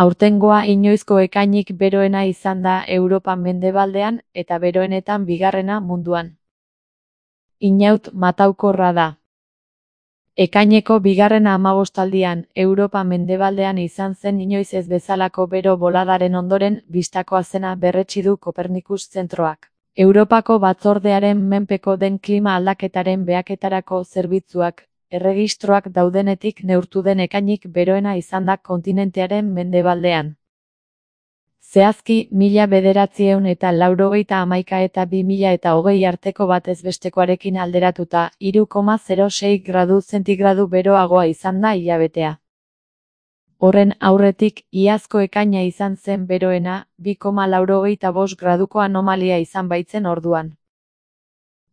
Aurtengoa inoizko ekainik beroena izan da Europa mendebaldean eta beroenetan bigarrena munduan. Inaut mataukorra da. Ekaineko bigarren 15aldian Europa mendebaldean izan zen inoiz ez bezalako bero boladaren ondoren bistakoa zena berretsi du Kopernikus zentroak. Europako batzordearen menpeko den klima aldaketaren behaketarako zerbitzuak, erregistroak daudenetik neurtu den ekainik beroena izan da kontinentearen mendebaldean. Zehazki, 1991 eta 2020 arteko batezbestekoarekin alderatuta 3,06 gradu zentigradu beroagoa izan da hilabetea. Horren aurretik, iazko ekaina izan zen beroena, 2,95 graduko anomalia izan baitzen orduan.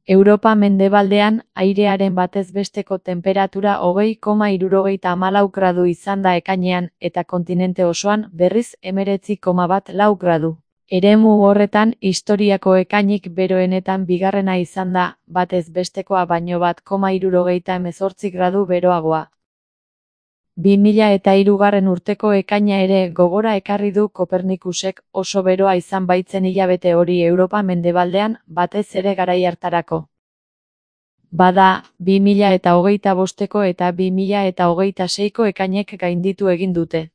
Europa mendebaldean, airearen batezbesteko temperatura 20,74 gradu izan da ekainean, eta kontinente osoan, berriz 19,14 gradu. Eremu horretan, historiako ekainik beroenetan bigarrena izan da, batezbestekoa baino 1,78 gradu beroagoa. 2003 urteko ekaina ere gogora ekarri du Kopernikusek, oso beroa izan baitzen hilabete hori Europa mendebaldean, batez ere garai hartarako. Bada, 2025ko eta 2026ko ekainek gainditu egin dute.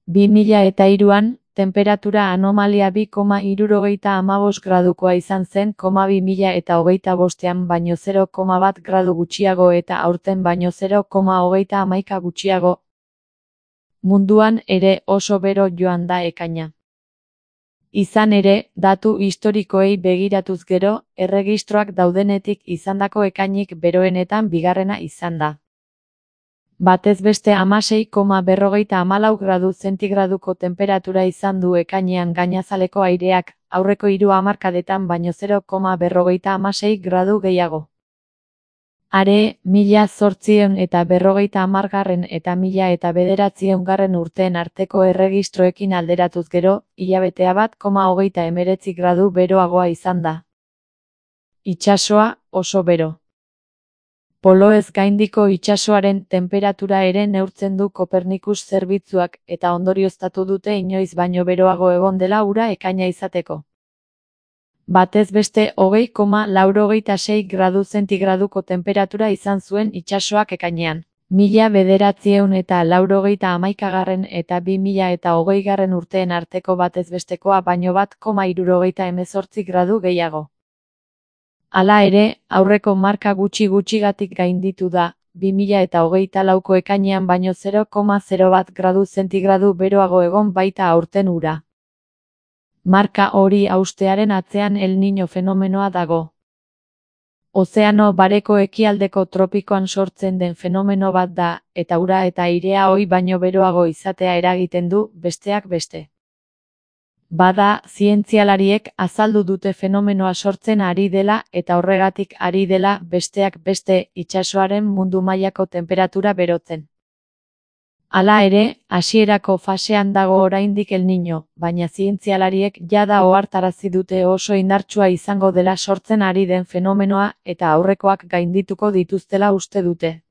2003an, temperatura anomalia 2,75 gradukoa izan zen, 2025an baino 0,1 gradu gutxiago eta aurten baino 0,31 gutxiago. Munduan ere oso bero joan da ekaina. Izan ere, datu historikoei begiratuz gero, erregistroak daudenetik izandako ekainik beroenetan bigarrena izan da. Batez beste 16,54 gradu zentigraduko temperatura izan du ekainean gainazaleko aireak, aurreko 3 hamarkadetan baino 0,56 gradu gehiago. Are, 1850garren eta 1900garren urteen arteko erregistroekin alderatuz gero, hilabetea 1,39 gradu beroagoa izan da. Itsasoa, oso bero. Poloez gaindiko itsasoaren temperatura ere neurtzen du Kopernikus zerbitzuak eta ondorioztatu dute inoiz baino beroago egon dela ura ekaina izateko. Batez beste 20,86 gradu zentigraduko temperatura izan zuen itsasoak ekainean. 1991garren eta 2020garren urteen arteko batezbestekoa baino 1,78 gradu gehiago. Hala ere, aurreko marka gutxigatik gainditu da, 2024ko ekainean baino 0,01 gradu zentigradu beroago egon baita aurten ura. Marka hori haustearen atzean El Niño fenomenoa dago. Ozeano Bareko ekialdeko tropikoan sortzen den fenomeno bat da, eta ura eta airea ohi baino beroago izatea eragiten du, besteak beste. Bada, zientzialariek azaldu dute fenomenoa sortzen ari dela eta horregatik ari dela, besteak beste, itsasoaren mundu mailako temperatura berotzen. Hala ere, hasierako fasean dago oraindik El Niño, baina zientzialariek jada ohartarazi dute oso indartsua izango dela sortzen ari den fenomenoa eta aurrekoak gaindituko dituztela uste dute.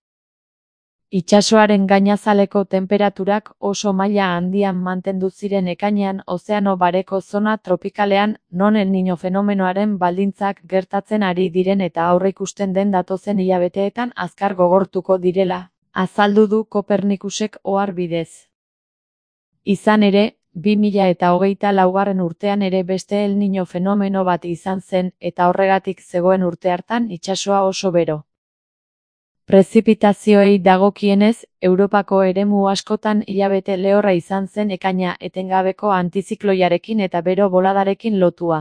Itsasoaren gainazaleko temperaturak oso maila handian mantendu ziren ekainean Ozeano Bareko zona tropikalean, non El Niño fenomenoaren baldintzak gertatzen ari diren eta aurreikusten den datozen hilabeteetan azkar gogortuko direla, azaldu du Kopernikusek ohar bidez. Izan ere, 2024garren urtean ere beste El Niño fenomeno bat izan zen eta horregatik zegoen urte hartan itsasoa oso bero. Prezipitazioei dagokienez, Europako eremu askotan hilabete lehorra izan zen ekaina etengabeko antizikloiarekin eta bero boladarekin lotua.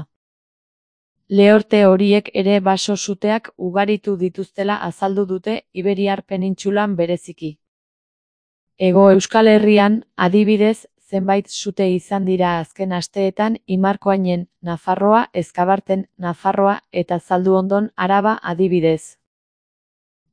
Lehorte horiek ere baso suteak ugaritu dituztela azaldu dute Iberiar penintsulan bereziki. Hego Euskal Herrian, adibidez, zenbait sute izan dira azken asteetan Imarkoainen, Nafarroa, Ezkabarten, Nafarroa eta Zalduondon, Araba adibidez.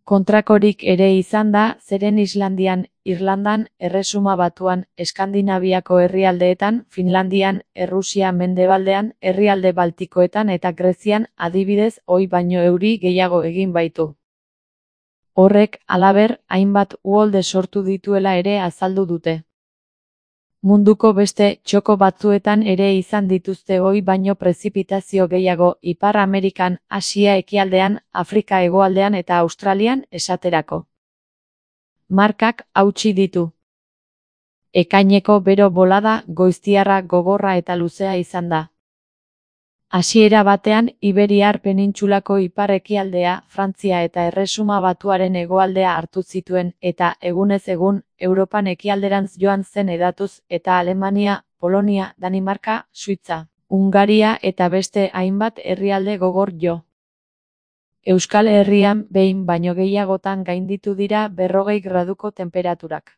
Kontrakorik ere izan da, zeren Islandian, Irlandan, Erresuma Batuan, Eskandinaviako herrialdeetan, Finlandian, Errusia mendebaldean, herrialde Baltikoetan eta Grezian, adibidez, ohi baino euri gehiago egin baitu. Horrek, halaber, hainbat uholde sortu dituela ere azaldu dute. Munduko beste txoko batzuetan ere izan dituzte ohi baino prezipitazio gehiago Ipar Amerikan, Asia ekialdean, Afrika hegoaldean eta Australian, esaterako. Markak hautsi ditu. Ekaineko bero bolada goiztiarra gogorra eta luzea izan da. Hasiera batean, Iberiar penintsulako ipar-ekialdea, Frantzia eta Erresuma Batuaren hegoaldea hartu zituen, eta, egunez egun, Europan ekialderantz joan zen hedatuz, eta Alemania, Polonia, Danimarka, Suitza, Hungaria eta beste hainbat herrialde gogor jo. Euskal Herrian behin baino gehiagotan gainditu dira 40 graduko tenperaturak.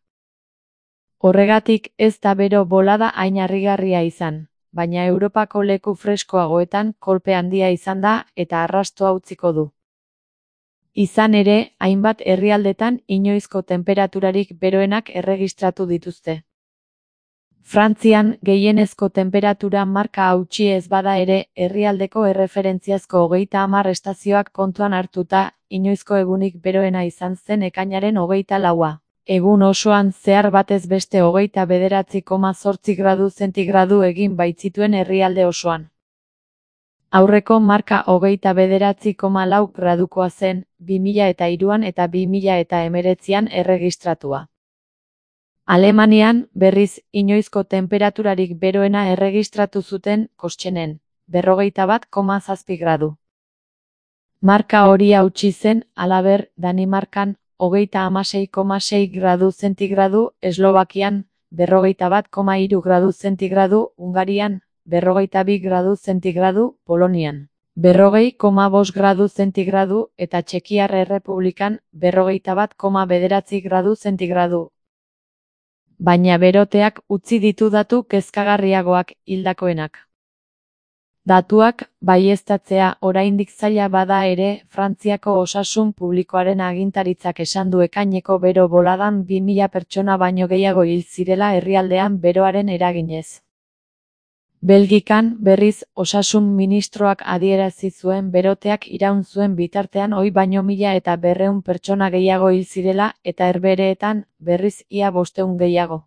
Horregatik ez da bero bolada hain harrigarria izan. Baina Europako leku freskoagoetan kolpe handia izan da eta arrastoa utziko du. Izan ere, hainbat herrialdetan inoizko tenperaturarik beroenak erregistratu dituzte. Frantzian gehienezko temperatura marka hautsi ez bada ere, herrialdeko erreferentziazko 30 estazioak kontuan hartuta, inoizko egunik beroena izan zen ekainaren 24. Egun osoan zehar batez beste 29,8 gradu zentigradu egin baitzituen herrialde osoan. Aurreko marka 29,4 gradukoa zen, 2003an eta 2019an erregistratua. Alemanian, berriz, inoizko temperaturarik beroena erregistratu zuten, Kostxenen, 41,7 gradu. Marka hori hautsi zen, halaber, Danimarkan, 36,6 gradu zentigradu, Eslovakian, 41,3 gradu zentigradu, Hungarian, 42 gradu zentigradu, Polonian, 40,5 gradu zentigradu, eta Txekiar Errepublikan, 41,9 gradu zentigradu. Baina beroteak utzi ditu datu kezkagarriagoak, hildakoenak. Datuak, baieztatzea oraindik zaila bada ere, Frantziako osasun publikoaren agintaritzak esan du ekaineko bero boladan 2000 pertsona baino gehiago hil zirela herrialdean beroaren eraginez. Belgikan, berriz, osasun ministroak adierazi zuen beroteak iraun zuen bitartean ohi baino 1200 pertsona gehiago hil zirela, eta Herbehereetan, berriz ia 500 gehiago.